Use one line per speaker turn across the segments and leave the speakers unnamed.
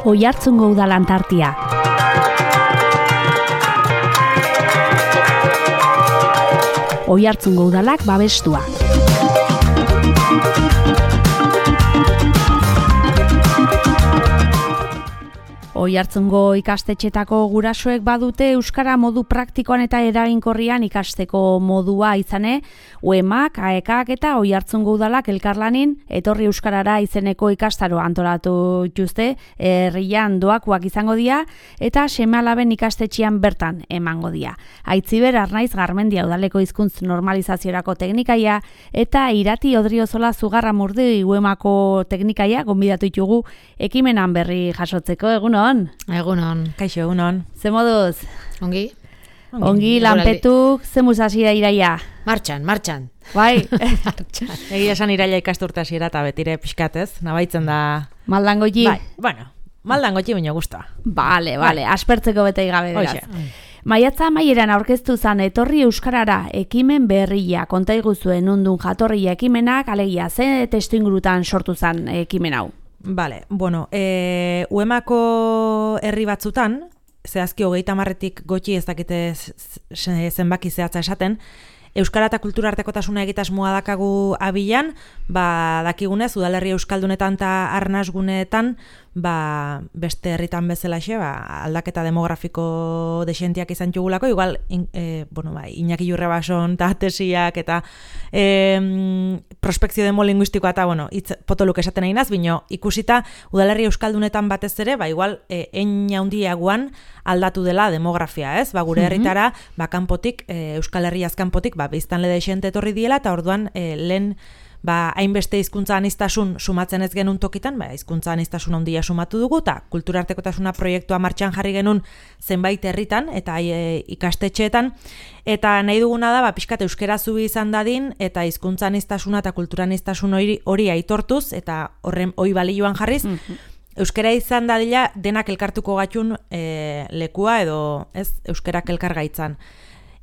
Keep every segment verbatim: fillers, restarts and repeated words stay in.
Oiartzungo udalan tartia. Oiartzungo udalak babestua. Oiartzungo ikastetxetako gurasoek badute euskara modu praktikoan eta eraginkorrian ikasteko modua izane, U E M A K, A E K eta Oiartzungo udalak elkarlanin etorri euskarara izeneko ikastaro antolatu dituzte, herrian doakoak izango dira eta seme-alaben ikastetxean bertan emango dira. Aitziber Arnaiz Garmendia udaleko hizkuntz normalizaziorako teknikaia eta Irati Odriozola Zugarramurdi U E M A ko teknikaia gonbidatu ditugu ekimenan berri jasotzeko. Egunon.
Egunon.
Kaixo, egunon.
Ze moduz?
Ongi?
Ongi, Ongi lanpetuk, ze musasi da iraia?
Martxan, martxan.
Bai?
Egia esan iraia ikasturta hasiera eta betire pixkatez, nabaitzen da...
Maldangoji?
Bai, bueno, maldangoji baina guztua.
Bale, bale, bai. Aspertzeko bete igabe beraz. Maiatza amaieran aurkeztu zan etorri euskarara ekimen berria, konta iguzuen undun jatorria ekimenak, alegia, ze testu ingurutan sortu zan ekimen hau?
Bale, bueno, e, U E M A ko herri batzutan, zehazki hogeita marretik gotxi ez dakite zenbaki zehatza esaten, euskara eta kultura artekotasuna egitasmoa dakagu abilan, ba, dakigunez, udalerri euskaldunetan eta arnasgunetan, ba, beste herritan bezalaxe, ba, aldaketa demografiko desentiak izan txugulako, igual, in, e, bueno, ba, Iñaki Jurrebason eta tesiak eta e, prospekzio demolinguistikoa eta, bueno, itz, potoluk esaten nahi naz, bino, ikusita udalerri euskaldunetan batez ere, ba, igual, e, ein handiagoan aldatu dela demografia, ez? Ba, gure herritara, ba, kanpotik, e, Euskal Herriaz kanpotik, ba, biztanle desente etorri diela, eta orduan, e, lehen, ba, hainbeste hizkuntza aniztasun sumatzen ez genuen tokitan, ba, hizkuntza aniztasun handia sumatu dugu, eta kultura artekotasuna proiektua martxan jarri genuen zenbait herritan, eta e, ikastetxeetan, eta nahi duguna da, ba, pixkat euskera zubi izan dadin, eta hizkuntza aniztasuna eta kultura aniztasun hori, hori aitortuz, eta horren hoi balioan jarriz, mm-hmm. Euskera izan dadila denak elkartuko gatxun e, lekua edo ez euskerak elkargaitzan.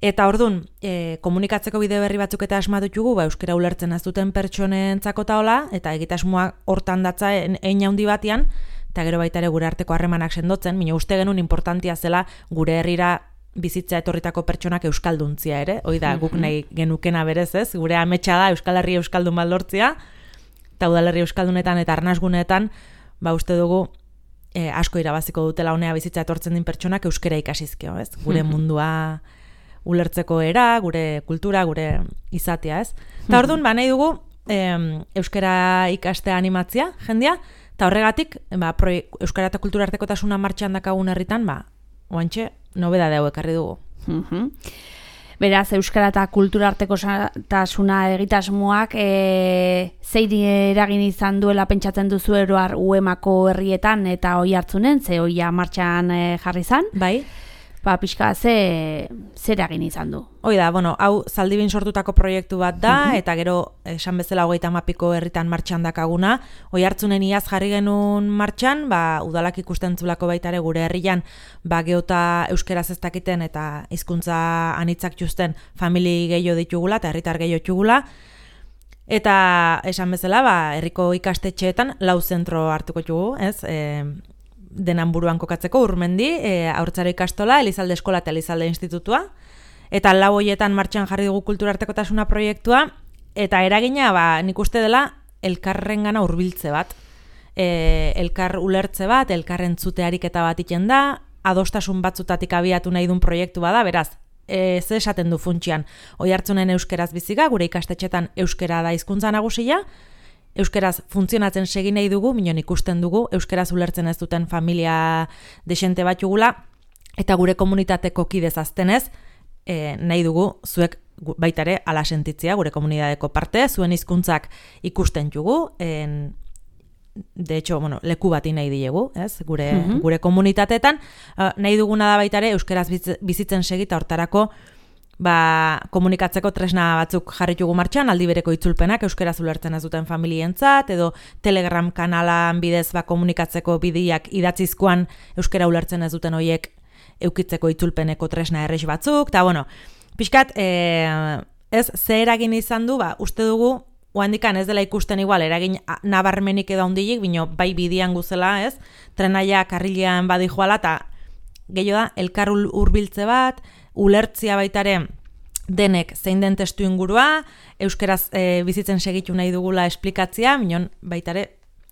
Eta ordun, e, komunikatzeko bide berri batzuk eta asmatu ditugu, ba, euskera ulertzen ez duten pertsonentzako taola, eta egitasmoa hortan datza hein handi batean, eta gero baita ere gure arteko harremanak sendotzen, mina uste genuen importantia zela gure herrira bizitza etorritako pertsonak euskalduntzia ere, hoi da guk nahi genukena berez ez, gure ametsa da Euskal Herri euskaldun baldortzia, eta udalerri euskaldunetan eta arnasgunetan, ba uste dugu e, asko irabaziko dutela honea bizitza etortzen din pertsonak euskera ikasizkeo, ez? Gure mundua ulertzeko era, gure kultura, gure izatea, ez? Eta orduan, ba, nahi dugu em, euskera ikastea animatzia, jendia, eta horregatik, ba, proie, euskara eta kultura artekotasuna martxan dakagun herritan, ba, oantxe, nobedade hau ekarri dugu.
Beraz, euskara eta kultura artekotasuna egitasmoak e, zeiri eragin izan duela pentsatzen duzu eroar U E M A ko herrietan eta Oiartzunen, ze oia martxan e, jarri zan?
Bai.
Ba, pixka, ze, ze eragin izan du?
Hoi da, bueno, hau Zaldibin sortutako proiektu bat da, uh-huh. eta gero, esan bezala hogeita hamapiko herritan martxan dakaguna. Oiartzunen iaz jarri genuen martxan, ba, udalak ikusten zulako baitare gure herrian, ba, geota euskeraz ez dakiten eta hizkuntza anitzak justen famili gehiago ditugula eta herritar gehiago ditugula. Eta esan bezala, ba, herriko ikastetxeetan lau zentro hartuko dugu, ez? E, denan buruan kokatzeko Urmendi, e, Haurtzaro ikastola, Elizalde eskola eta Elizalde institutua, eta lau hoietan martxan jarri dugu kultura artekotasuna proiektua, eta eragina, ba, nik uste dela, elkarrengana hurbiltze bat, e, elkar ulertze bat, elkar entzute ariketa bat iten da, adostasun batzutatik abiatu nahi duen proiektu bada, beraz, e, ze esaten du funtsian, Oiartzunen euskeraz biziga, gure ikastetxetan euskera da hizkuntza nagusia, euskeraz funtzionatzen segi nahi dugu, minon ikusten dugu, euskeraz ulertzen ez duten familia desente bat jugula, eta gure komunitateko kidez aztenez, e, nahi dugu zuek baitare ala sentitzea, gure komunitateko parte, zuen hizkuntzak ikusten jugu, en, de hecho, bueno, leku bati nahi diegu, ez? Gure, uh-huh. gure komunitateetan, uh, nahi duguna da baitare euskeraz bizitzen segita hortarako, ba, komunikatzeko tresna batzuk jarritugu martxan, aldi bereko itzulpenak euskeraz ulertzen ez duten familientzat, edo Telegram kanalan bidez ba, komunikatzeko bideak idatzizkoan euskera ulertzen ez duten hoiek eukitzeko itzulpeneko tresna errex batzuk, eta bueno, pixkat, e, ez, ze eragin izan du, ba, uste dugu, oandikan ez dela ikusten igual, eragin nabarmenik edo handilik, bino bai bidian guzela, ez, trenaia karrilean badi joala, eta gehiago da, elkar hurbiltze bat, ulertzia baitare denek zein den testu ingurua, euskeraz e, bizitzen segitu nahi dugula esplikatzia, minon baitare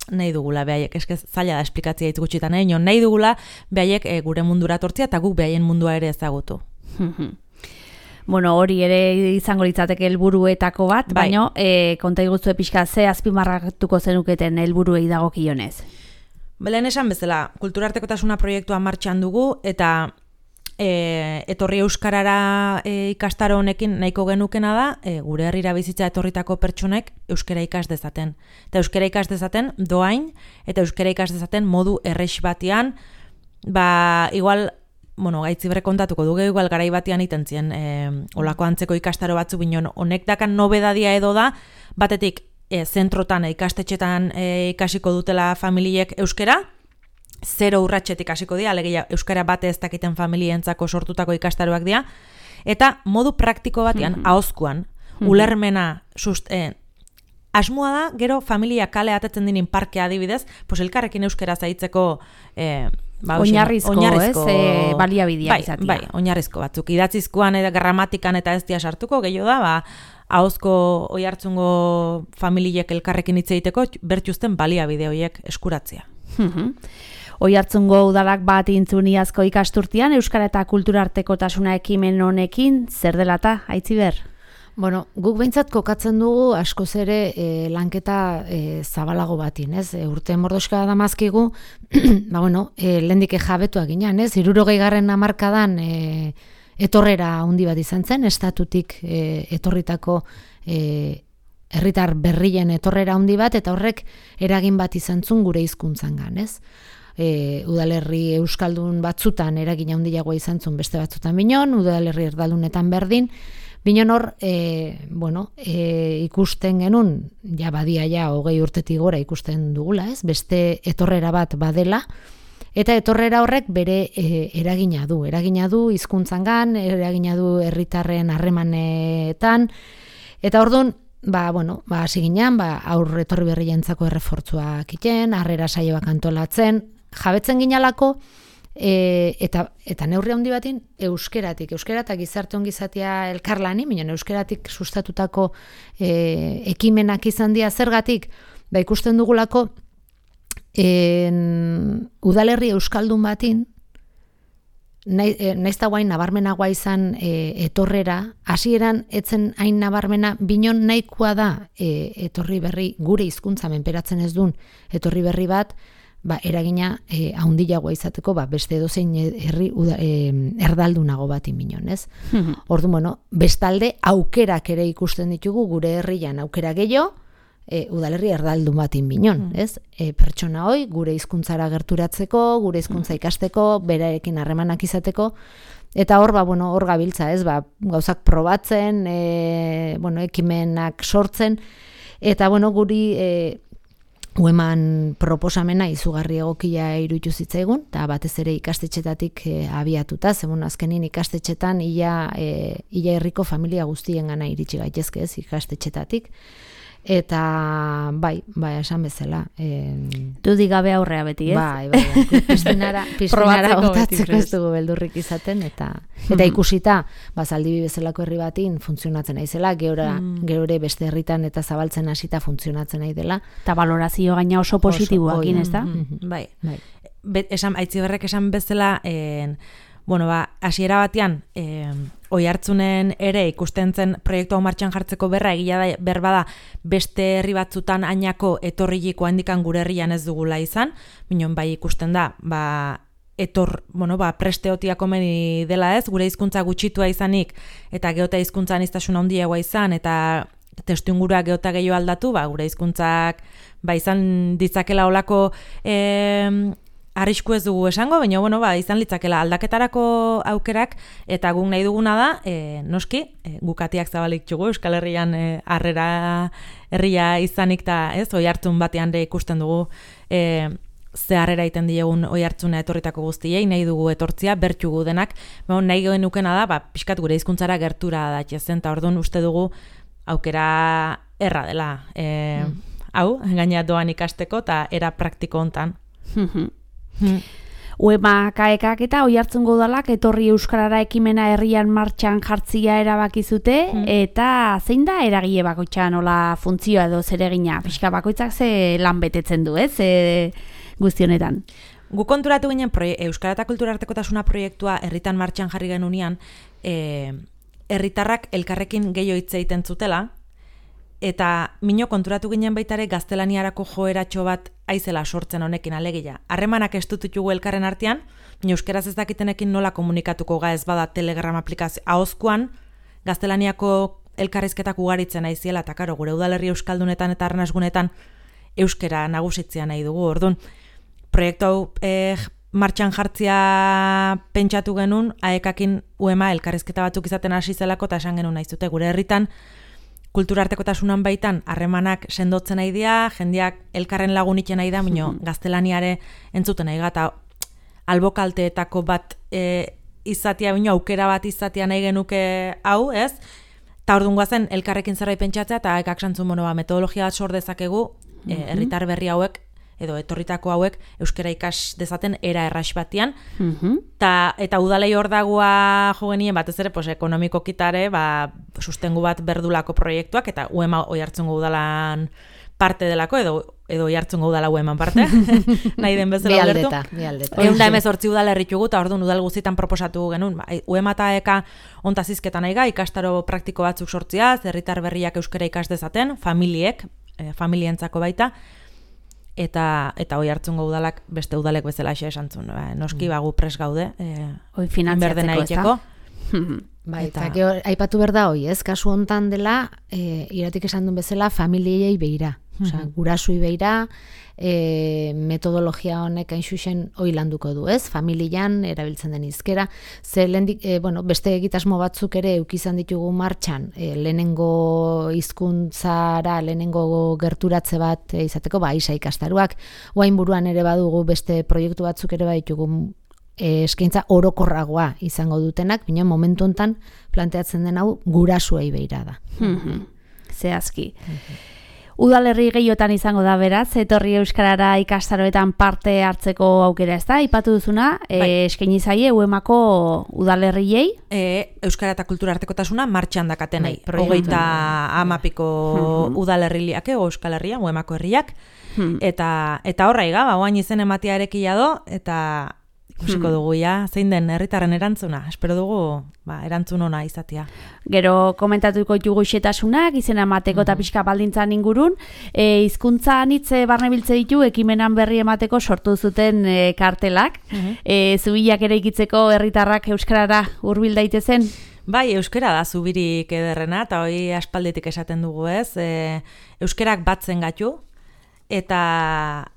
nahi dugula behaiek, eske zaila da esplikatzia hitz gutxitan, eh? Nahi dugula behaiek e, gure mundura tortzia eta guk behaien mundua ere ezagutu.
Bueno, hori ere izango litzateke helburuetako bat, bai. Baina e, konta iguztu pixka ze azpimarratuko zenuketen helburuei dagokionez.
Belen esan bezala, kulturartekotasuna proiektua martxan dugu eta e, etorri euskarara e, ikastaro honekin nahiko genukena da, e, gure herrira bizitza etorritako pertsonek euskara ikas dezaten. Eta euskara ikas dezaten doain eta euskara ikas dezaten modu errex batean, ba, igual, bueno, gaitzibre kontatuko dugu, igual garai batean itentzien e, olako antzeko ikastaro batzu binon, honek dakan nobedadia edo da, batetik e, zentrotan, e, ikastetxetan e, ikasiko dutela familiek euskera, zero urratxetik ikasiko dira, alegia euskara bate ez dakiten familientzako sortutako ikastaroak dira, eta modu praktiko batean, mm-hmm. ahozkuan, mm-hmm. ulermena, sust, e, asmoa da, gero familia kale atetzen dinin parkea adibidez, pues elkarrekin euskera zaitzeko e, ba,
oinarrizko, oinarrizko, ez, e, baliabideak
bai,
izatea.
Bai, oinarrizko batzuk. Idatzizkoan eta gramatikan eta ez dia sartuko, gehiago da, ba, ahozko oihartzungo familiek elkarrekin hitz egiteko bertuzten baliabide horiek eskuratzea.
Oihartzungo udalak bat intzuniazko ikasturtian, euskara eta kulturartekotasuna ekimen honekin, zer dela ta, Aitziber?
Bueno, guk behintzat kokatzen dugu askoz ere e, lanketa e, zabalago batin, ez? E, urte mordoska damazkigu, ba bueno, e, lendike jabetuak ginen, ez? Hirurogei garren hamarkadan e, etorrera handi bat izan zen, estatutik e, etorritako e, herritar berrien etorrera handi bat, eta horrek eragin bat izan zuen gure hizkuntzangan, ez? E, udalerri euskaldun batzutan eragin handiagoa izan zuen beste batzutan binon, udalerri erdaldunetan berdin, binon hor, e, bueno, e, ikusten genuen, ja badia ja hogei urtetik gora ikusten dugula, ez? Beste etorrera bat badela, eta etorrera horrek bere e, eragina du, eragina du hizkuntzangan, eragina du herritarren harremanetan, eta orduan, ba, bueno, ba, hasi ginean, ba, aurre etorri berrientzako errefortzuak iten, harrera saioak antolatzen, jabetzen ginalako, e, eta, eta neurri handi batin, euskeratik, euskera eta gizarte ongizatea elkarlani, minon euskeratik sustatutako e, ekimenak izan dira zergatik, ba, ikusten dugulako, en, udalerri euskaldun batin, naiz eta guain nabarmenagoa izan e, etorrera, hasieran etzen hain nabarmena, binon nahikoa da e, etorri berri, gure hizkuntza menperatzen ez duen etorri berri bat, ba, eragina e, haundiagoa izateko, ba, beste edozein herri uda, e, erdaldunago bat inbinon, ez? Mm-hmm. Ordu, bueno, bestalde aukerak ere ikusten ditugu gure herrian aukera gehiago, E, udalerri erdaldun bat inbinon, mm. ez? E, pertsona hoi, gure hizkuntzara gerturatzeko, gure hizkuntza ikasteko, berarekin harremanak izateko, eta hor, ba, bueno, hor gabiltza, ez? Ba, gauzak probatzen, e, bueno, ekimenak sortzen, eta, bueno, guri e, ueman proposamena izugarri egokia iruditu zitzaigun, eta batez ere ikastetxetatik e, abiatuta, zemun azkenin ikastetxetan ia, e, ia herriko familia guztien gana iritsi gaitezke, ez? Ikastetxetatik. Eta, bai, bai, esan bezala. Eh,
Dudik gabe aurrea beti, ez?
Bai, bai, bai. Pistinara, pistinara botatzeko ez dugu beldurrik izaten, eta eta ikusita, bazaldibi bezalako herri batin funtzionatzen naizela, geora, mm. geure beste herritan eta zabaltzen hasita funtzionatzen nahi dela.
Eta valorazio gaina oso positiboakin, ez da?
Mm-hmm. Bai, bai. Bet, esan, Aitziberrek esan bezala, en, bueno, ba, hasiera batean, eh, Oihartzunen ere ikusten zen proiektu hau martxan jartzeko berra, egia da berbada beste herri batzutan ainako etorriliko handikan gure herrian ez dugula izan, minon bai ikusten da, ba, etor, bueno, ba, presteotia komeni dela ez, gure hizkuntza gutxitua izanik, eta geota hizkuntzan iztasun handiagoa izan, eta testuingurua geota gehiago aldatu, ba, gure hizkuntzak ba, izan ditzakela olako eh, arrisku ez dugu esango, baina bueno, ba, izan litzakela aldaketarako aukerak, eta guk nahi duguna da, e, noski, e, gukatiak zabalik txugu, Euskal Herrian e, harrera herria izanik, eta ez, Oihartzun batean ere ikusten dugu, e, zeharrera iten diegun oi hartzuna etorritako guztiei, nahi dugu etortzia, bertxugu denak, ba, nahi genukena da, ba, pixkat gure hizkuntzara gertura datxezen, eta orduan uste dugu aukera erra dela. E, mm. Hau, gaina doan ikasteko, eta era praktiko hontan. mm.
Uema kaekak eta Oiartzungo udalak etorri euskarara ekimena herrian martxan jartzia erabaki zute, mm. eta zein da eragile bakoitza nola funtzioa edo zeregina? Pixka bakoitzak ze lan betetzen du, ez? E, guzti honetan.
Gu konturatu ginen Euskara eta Kultura Artekotasuna proiektua herritan martxan jarri genunean, e, herritarrak elkarrekin gehiago hitz egiten zutela, eta mino konturatu ginen baitare gaztelaniarako joeratxo bat aizela sortzen honekin alegia. Harremanak estutitugu elkarren artean, euskeraz ez dakitenekin nola komunikatuko ga ez bada Telegram aplikazio. Ahozkoan, gaztelaniako elkarrizketak ugaritzen aiziela, eta karo, gure udalerri euskaldunetan eta arnasgunetan euskera nagusitzea nahi dugu. Orduan, proiektu hau eh, martxan jartzia pentsatu genuen, aekakin uema elkarrizketa batzuk izaten hasi zelako, eta esan genuen nahi zute, gure herritan, Kultura Artekotasunan baitan harremanak sendotzen nahi dira, jendeak elkarren lagunitzen nahi da, baina gaztelaniare entzuten nahi gata albokalteetako bat e, izatea, baina aukera bat izatea nahi genuke hau, ez? Ta orduan guazen elkarrekin zerbait pentsatzea, eta ekak santzun bono, metodologia bat sor dezakegu, e, herritar berri hauek, edo etorritako hauek euskara ikas dezaten era erras batian, mm-hmm. ta, eta udalei hor dagoa jo genien batez ere pues, ekonomiko kitare ba, sustengu bat berdulako proiektuak, eta uema Oiartzungo udalan parte delako, edo edo Oiartzungo udala ueman parte, nahi den bezala ulertu.
Bi aldeta.
Egun da emezortzi udal erritugu, eta orduan udal guztietan proposatu genuen, ba, uema eta eka ontazizketan aiga, ikastaro praktiko batzuk sortzia, herritar berriak euskara ikas dezaten, familiek, e, familientzako baita, eta eta Oiartzungo udalak beste udalek bezala xe esantzun. Ba, noski bagu pres gaude, eh,
hoi finantziatzeko, ez da?
Bai, eta gero aipatu behar da hoi, ez? Kasu hontan dela, e, iratik esan duen bezala, familiei beira. Osea, gurasui beira, e, metodologia honek hain xuxen hoi landuko du, ez? Familian erabiltzen den hizkera. Ze lehendik, e, bueno, beste egitasmo batzuk ere eukizan ditugu martxan, e, lehenengo hizkuntzara, lehenengo gerturatze bat e, izateko, ba, isa ikastaruak, oain buruan ere badugu beste proiektu batzuk ere baditugu e, eskaintza orokorragoa izango dutenak, baina momentu hontan planteatzen den hau gurasuei beira da.
Zehazki. Udalerri gehiotan izango da beraz, etorri euskarara ikastaroetan parte hartzeko aukera, ez da? Ipatu duzuna, bai. e, eskaini zaie uemako udalerriei?
E, Euskara eta Kultura Artekotasuna martxan dakatenei. Bai, hogeita amapiko hmm. udalerriak, Euskal Herria, uemako herriak, hmm. eta, eta horra iga, ba, oain izen ematea erekia do, eta ikusiko dugu ja, zein den herritarren erantzuna. Espero dugu ba, erantzun ona izatea.
Gero komentatuko ditugu xetasunak, izena emateko eta pixka baldintzan ingurun. E, hizkuntza anitze barne biltze ditu, ekimenan berri emateko sortu zuten e, kartelak. E, zubilak ere ikitzeko herritarrak euskarara hurbil daitezen?
Bai, euskara da zubirik ederrena, eta hori aspalditik esaten dugu ez. E, euskerak batzen gatu, eta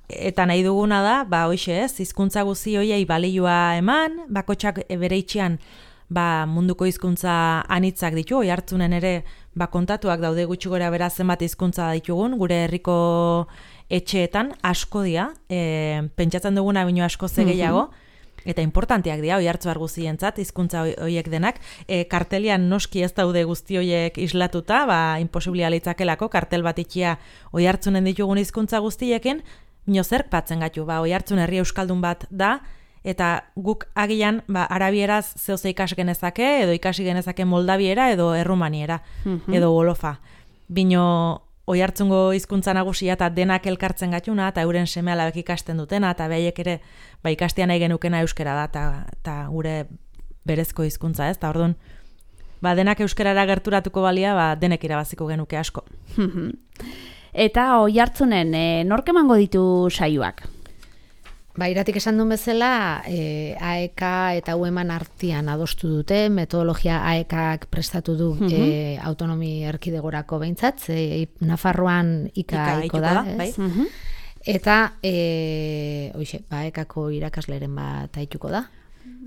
eta nahi duguna da, ba hoixe ez, hizkuntza guzti hoiei balioa eman, bakotxak bere itxean ba, munduko hizkuntza anitzak ditu, Oiartzunen ere ba, kontatuak daude gutxi gora bera zenbat hizkuntza ditugun, gure herriko etxeetan asko dira, e, pentsatzen duguna baino asko ze gehiago, eta importanteak dira Oiartzuar guztientzat hizkuntza hoiek denak, e, kartelian noski ez daude guzti hoiek islatuta, ba imposiblia litzakelako kartel bat itxia Oiartzunen ditugun hizkuntza guztiekin, bino zerk batzen gatu, ba Oiartzun herri euskaldun bat da, eta guk agian ba arabieraz zeoze ikas genezake, edo ikasi genezake moldabiera edo errumaniera, mm-hmm. edo wolofa. Bino Oiartzungo hizkuntza nagusia eta denak elkartzen gatuna, eta euren seme-alabek ikasten dutena, eta behaiek ere ba, ikastea nahi genukena euskera da, eta gure berezko hizkuntza ez, eta orduan, ba, denak euskerara gerturatuko balia, ba, denek irabaziko genuke asko.
Eta Oiartzunen, e, nork emango ditu saioak?
Ba, iratik esan duen bezala, e, A E K eta ueman artean adostu dute, metodologia A E K-ak prestatu du mm-hmm. e, autonomi erkidegorako behintzat, e, Nafarroan ika iko da, da bai? mm-hmm. Eta, e, oixe, ba, A E K-ko irakasleren bat aituko da.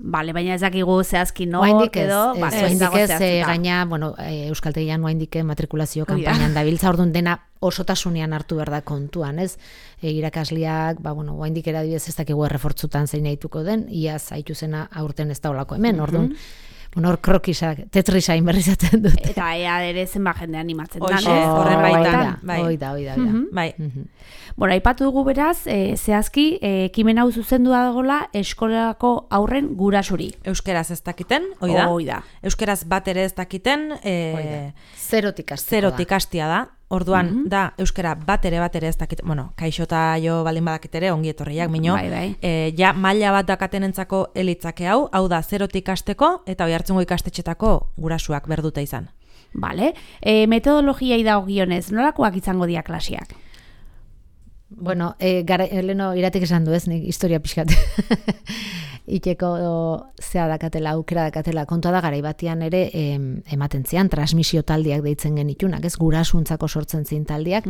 Bale, baina ez dakigu zehazki nor
Oraindik ez,
edo,
ez,
ba, ez
oraindik
dago
ez,
zehaztuta.
eh, gaina, bueno, eh, Euskaltegian oraindik matrikulazio
Hori da.
kanpainan dabiltza, orduan dena osotasunean hartu behar da kontuan, ez? E, irakasleak, ba, bueno, oraindik eradibidez ez dakigu errefortzutan zein nahituko den, iaz haitu zena aurten ez da olako hemen, orduan, bueno, hor krokisak, tetrisain berri zaten dut.
Eta ea ere zenba jende animatzen da.
Hoxe,
no?
horren baitan,
Hoi da,
bai.
hoi da, hoi da, hoi da.
Mhm.
Bai.
Mhm.
Bueno, aipatu dugu beraz, e, zehazki, e, ekimen hau zuzendu dagoela eskolako aurren gurasuri.
Euskeraz ez dakiten, hoi da.
Hoi da.
Euskeraz bat ere ez dakiten, e,
Zerotik hasteko
zerotik
da.
hastia da. Orduan, da, euskera bat ere bat ere ez dakit, bueno, kaixota jo baldin badakit ere, ongi etorriak, mino,
Bai, bai.
e, ja maila bat dakatenentzako elitzake hau, hau da, zerotik hasteko eta Oiartzungo ikastetxetako gurasuak berdute izan.
Bale, e, metodologiai dagokionez, nolakoak izango dira klasiak?
Bueno, e, gara, leno iratik esan du ez, nik historia pixkat. Iteko zea dakatela, aukera dakatela, kontua da garai batean ere em, ematen zian, transmisio taldiak deitzen genitunak, ez, gurasuntzako sortzen zin taldiak,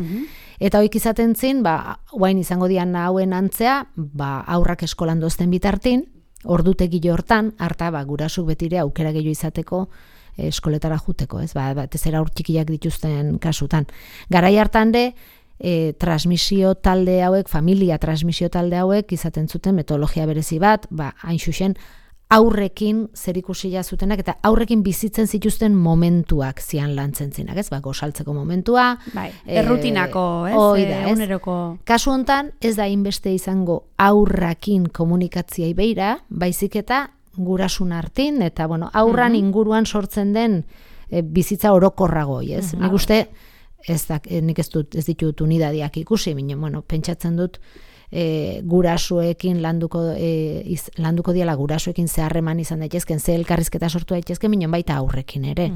eta hoik izaten zin, ba, guain izango dian hauen antzea, ba, aurrak eskolan dozten bitartin, ordutegi hortan, harta, ba, gurasuk betire aukera gehiago izateko, eh, eskoletara juteko, ez, ba, batez ere aur txikiak dituzten kasutan. Garai hartan de, E, transmisio talde hauek, familia transmisio talde hauek izaten zuten metodologia berezi bat, ba, hain xuxen aurrekin zerikusia zutenak eta aurrekin bizitzen zituzten momentuak zian lantzen zinak, ez? Ba, gosaltzeko momentua.
Bai,
eh,
errutinako, ez?
hoi da,
Eh,
ez?
Eguneroko.
Kasu hontan ez da inbeste izango aurrakin komunikatziai beira, baizik eta gurasun hartin, eta bueno, aurran inguruan sortzen den e, bizitza orokorragoi, ez? Nik uste, ez da, nik ez dut, ez ditut unidadiak ikusi, bine, bueno, pentsatzen dut e, gurasuekin landuko, e, iz, landuko diala gurasuekin zeharreman izan daitezken, ze elkarrizketa sortu daitezken, bine, baita aurrekin ere.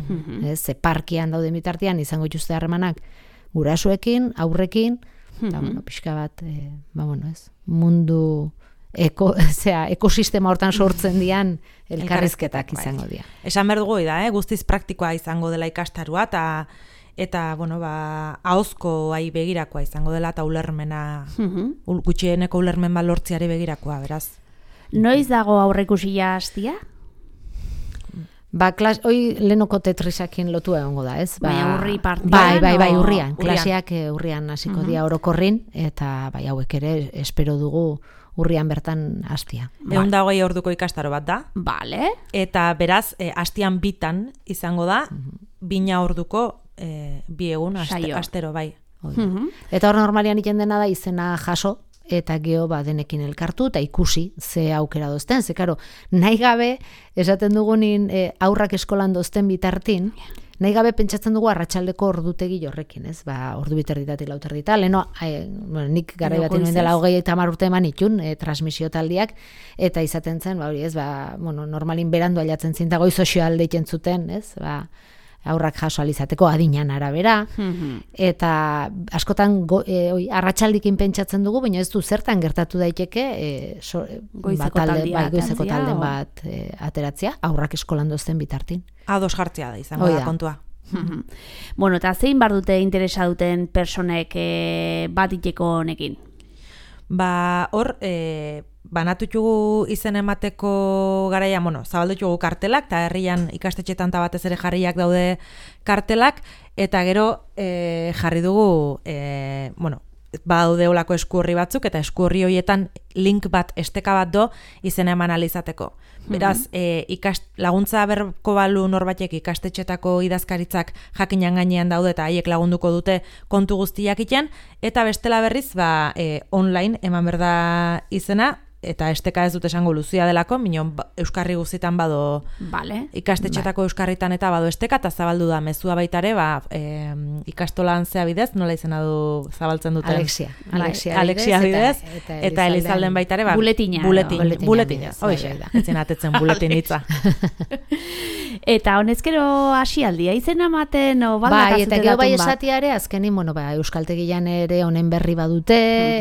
Ez, ze parkian dauden bitartean izango dituzte harremanak gurasuekin, aurrekin, eta, bueno, pixka bat, e, ba, bueno, ez, mundu eko, zera, ekosistema hortan sortzen dian elkarrizketak izango dira.
Esan behar dugu da, eh? Guztiz praktikoa izango dela ikastarua, eta eta, bueno, ba, ahozko ai begirakoa izango dela, eta ulermena, ul, gutxieneko ulermen bat lortziari begirakoa, beraz.
Noiz dago aurreikusia hastia?
Ba, klas, hoi lehenoko tetrisakin lotu egongo da, ez? Ba,
Baina urri partian,
Bai, bai, bai,
o-
urrian.
urrian.
Klaseak eh, urrian hasiko dira orokorrin, eta bai, hauek ere espero dugu urrian bertan hastia.
Ehun da hogei orduko ikastaro bat da,
Bale.
eta beraz, e, astian bitan izango da, bina orduko e, bi egun aste,
Saio.
astero, bai.
Mhm.
Eta hor normalian iten dena da izena jaso, eta geho ba denekin elkartu eta ikusi ze aukera dozten. Ze karo, nahi gabe, esaten dugunin e, aurrak eskolan dozten bitartin, nahi gabe pentsatzen dugu arratsaldeko ordutegi horrekin, ez? Ba, ordu biterditatik lauterdita, leno, e, bueno, nik garai batin nuen dela hogei eta hamar urte eman itun, e, transmisio taldiak, eta izaten zen, ba, hori, ez, ba, bueno, normalin berandu ailatzen zinta goiz sozial deitzen zuten, ez? Ba, aurrak jaso alizateko adinan arabera, eta askotan go, e, oi, arratsaldikin pentsatzen dugu, baina ez du zertan gertatu daiteke e, so,
Goizeko
ba, talde,
taldia
bai, goizeko
ateratzea,
talden
o?
bat e, ateratzea, aurrak eskolan dozten bitartin.
Ados jartzea da izango
Hoi
da
da.
kontua.
Bueno, eta zein bar dute interesa duten personek e, bat iteko honekin?
Ba, hor, e, banatutugu izen emateko garaia, bueno, zabaldutugu kartelak, eta herrian ikastetxetan ta batez ere jarriak daude kartelak, eta gero e, jarri dugu, e, bueno, badaude olako eskuorri batzuk, eta eskuorri horietan link bat, esteka bat do, izena eman alizateko. Beraz, e, ikast, laguntza berko balu norbatek ikastetxetako idazkaritzak jakinan gainean daude eta haiek lagunduko dute kontu guztiak iten, eta bestela berriz, ba, e, online eman berda izena, eta esteka ez dut esango luzia delako, minon ba, euskarri guztietan bado
Bale.
ikastetxetako euskarritan eta bado esteka, eta zabaldu da mezua baitare, ba, e, ikastolan zea bidez, nola izena du zabaltzen duten?
Alexia.
Bai,
Alexia,
Alexia bidez,
eta, eta,
eta Elizalden baitare, ba,
Buletina,
buletin,
edo.
buletina,
Buletina
hoxe,
bidez, bai,
ez zen atetzen buletin hitza.
Eta honezkero hasialdia izena ematen o baldaka
Bai, eta
zute
gero bai
datun bat?
esatiare, azkenin, bueno, ba, Euskaltegian ere honen berri badute,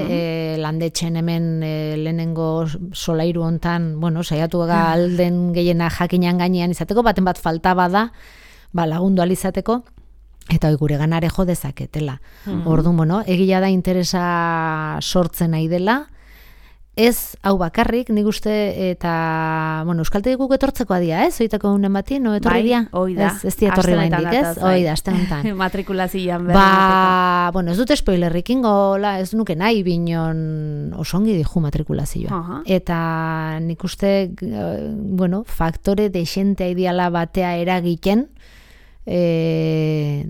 e, landetxen hemen e, lehenengo solairu hontan, bueno, saiatu ga alden gehiena jakinan gainean izateko, baten bat falta bada, ba, lagundu alizateko, eta hoi gure ganare jo dezaketela. Orduan, bueno, egia da interesa sortzen nahi dela, ez hau bakarrik, nik uste, eta, bueno, euskaltegi guk etortzeko adia, ez? Oitako unen bati, no etorri dia?
Bai, hoi da.
Ez, ez di etorri baindik, ez? Hoi da, aste honetan.
Matrikulazioan berri
Ba, bueno, ez dut spoilerrik ingola, ez nuke nahi binon osongi diju matrikulazioa.
Aha.
Eta nik uste, eh, bueno, faktore dexentea ideala batea eragiten, eh,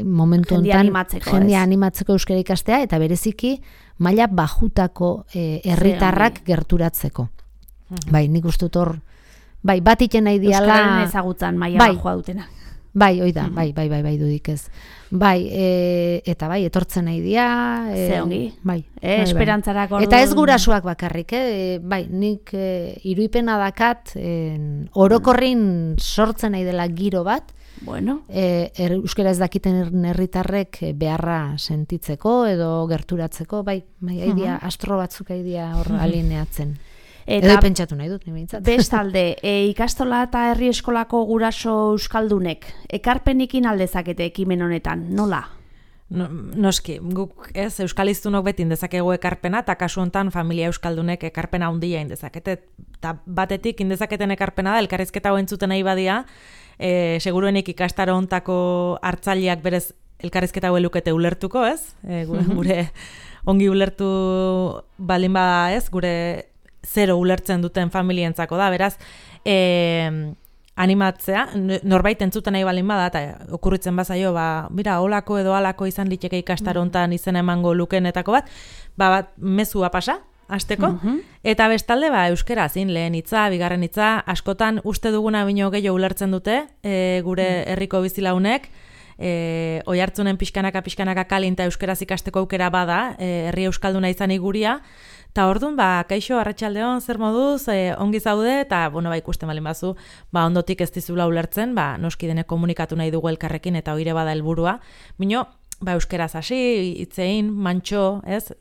momentu
Jendia
hontan
animatzeko,
jendia
ez?
animatzeko euskara ikastea, eta bereziki maila bajutako eh, herritarrak gerturatzeko. Bai, nik uste dut hor, bai, bat iten nahi diala...
Euskararen ezagutzan maila
bai,
bajoa dutena.
Bai, hoi da, bai, bai, bai, bai, dudik ez. Bai, e, eta bai, etortzen nahi dia... E,
Ze ongi.
Bai,
E,
bai, bai.
esperantzarako orduan-
Eta ez gurasoak bakarrik, eh? Bai, nik e, iruipena dakat, e, orokorrin sortzen nahi dela giro bat,
Bueno,
e, er, euskara ez dakiten herritarrek e, beharra sentitzeko edo gerturatzeko, bai, bai, haidia, astro batzuk haidia hor alineatzen.
eta
Edo pentsatu nahi dut, nimentzat.
bestalde, e, ikastola eta herri eskolako guraso euskaldunek, ekarpenikin aldezakete ekimen honetan, nola?
No, noski, guk ez, euskaliztunok beti indezakegu ekarpena, eta kasu hontan familia euskaldunek ekarpena handia indezakete. Eta batetik indezaketen ekarpena da, elkarrizketa hau entzuten nahi badia, e, seguruenik ikastaro hontako hartzaileak berez elkarrizketa hau elukete ulertuko, ez? E, gure, gure ongi ulertu balin bada, ez? Gure zero ulertzen duten familientzako da, beraz, e, animatzea, norbait entzuten nahi balin bada, eta okurritzen bazaio, ba, mira, holako edo halako izan liteke ikastaro hontan izena emango lukenetako bat, ba, bat mezua pasa, hasteko, eta bestalde, ba, euskera zin, lehen hitza, bigarren hitza, askotan uste duguna bino gehiago ulertzen dute, e, gure herriko bizilaunek, e, oihartzunen pixkanaka pixkanaka kalinta euskeraz ikasteko aukera bada, e, herri euskalduna izan iguria, eta orduan, ba, kaixo, arratsaldeon, zer moduz, e, ongi zaude, eta, bueno, ba, ikusten balin bazu, ba, ondotik ez dizula ulertzen, ba, noski denek komunikatu nahi dugu elkarrekin, eta hoire bada helburua. Bino, ba, euskeraz hasi, hitzein, mantxo, ez?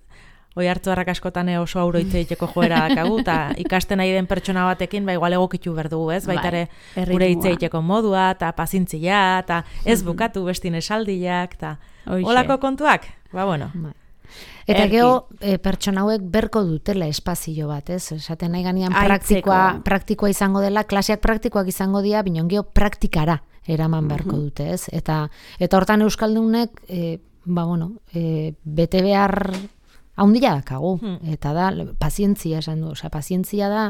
Oihartzuarrak askotan oso auro hitz egiteko joera dakagu, eta ikasten nahi den pertsona batekin, ba, igual egokitu berdugu, ez? Baitare,
Bai,
gure hitz
erritmoa.
egiteko modua, eta pazintzia, eta ez bukatu bestin esaldiak, eta
Hoixe.
holako kontuak, ba, bueno.
Bai. Eta
Erki.
gero, e, pertsona hauek berko dutela espazio bat, ez? Esaten nahi ganean
Aitzeko.
praktikoa, praktikoa izango dela, klaseak praktikoak izango dira, binon gero praktikara eraman beharko dute, ez? Eta, eta hortan euskaldunek, e, ba, bueno, e, bete behar haundia dakagu, eta da, pazientzia esan du, osea, pazientzia da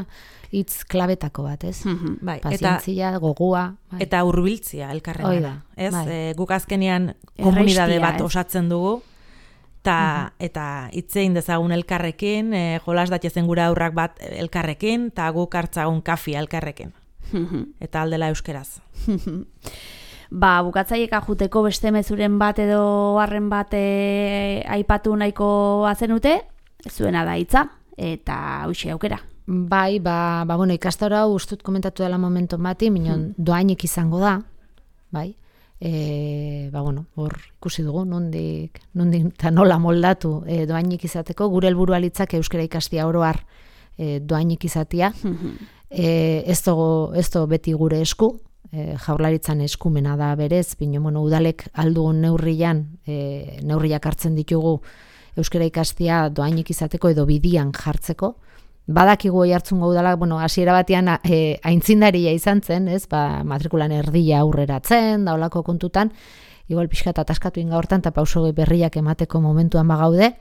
hitz klabetako bat, ez?
Bai, eta
Pazientzia, gogua, bai.
eta hurbiltzia elkarrengana.
Hoi da,
Ez,
bai.
e, guk azkenean komunidade
Errestia,
bat
ez?
osatzen dugu, ta, eta hitzein dezagun elkarrekin, e, jolas datezen gura aurrak bat elkarrekin, eta guk hartzagun kafia elkarrekin. Eta aldela euskeraz.
Ba, bukatzaiek ajuteko beste mezuren bat edo harren bat e, aipatu nahiko azenute, zuena da hitza, eta hoxe aukera.
Bai, ba, ba bueno, ikastaro hau ustut komentatu dela momentu bati, minon doainik izango da, bai, e, ba, bueno, hor ikusi dugu, nondik, nondik eta nola moldatu e, doainik izateko, gure helburua litzake euskara ikastia oroar e, doainik izatia, e, ez dago, ez dago beti gure esku, e, jaurlaritzan eskumena da berez, bino, bueno, udalek aldugun neurrian, e, neurriak hartzen ditugu euskara ikastia doainik izateko edo bidian jartzeko. Badakigu Oiartzungo udalak, bueno, hasiera batean e, aintzindaria izan zen, ez? Ba, matrikulan erdia aurreratzen, da holako kontutan, igual pixka eta ataskatu inga hortan, eta pauso berriak emateko momentuan bagaude,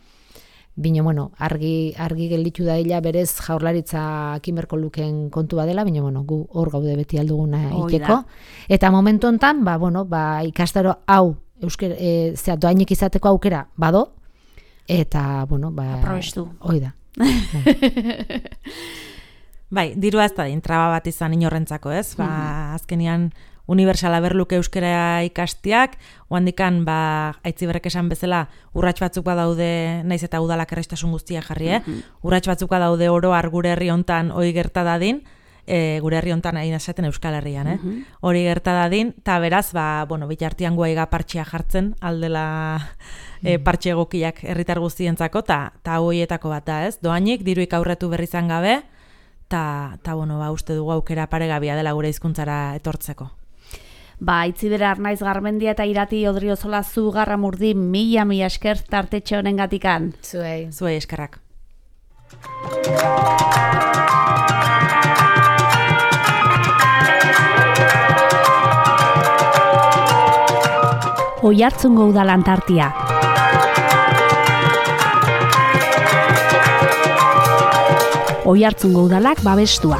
bino, bueno, argi, argi gelditu da illa berez jaurlaritza kimerko luken kontu badela, bino, bueno, gu hor gaude beti alduguna
Hoi
iteko.
da.
Eta momentu hontan, ba, bueno, ba, ikastaro hau, eusker, e, zera, doainik izateko aukera bado, eta, bueno, ba...
Aprobestu.
Hoi da.
Bai, dirua ez da intraba bat izan inorrentzako, ez? Ba, azkenian unibertsala berluke euskara ikastiak, oandikan, ba, aitziberrek esan bezala, urrats batzuk badaude, naiz eta udalak errestasun guztia jarri, eh? Urrats batzuk badaude oroar gure herri hontan hori gerta dadin, e, gure herri hontan hain esaten Euskal Herrian, eh? Hori gerta dadin, eta beraz, ba, bueno, bitartian guaiga partxea jartzen, aldela e, partxe egokiak herritar guztientzako, eta hoietako bat da, ez? Doainik, diruik aurretu berri izan gabe, eta, bueno, ba, uste dugu aukera paregabia dela gure hizkuntzara etortzeko.
Ba, Itzibera Arnaiz Garmendia eta Irati Odriozola zu Garramurdi mila mila esker tartetxe honen gatikan.
Zuei.
Zuei eskerrak.
Oiartzungo udal Antartia. Oiartzungo udalak babestua.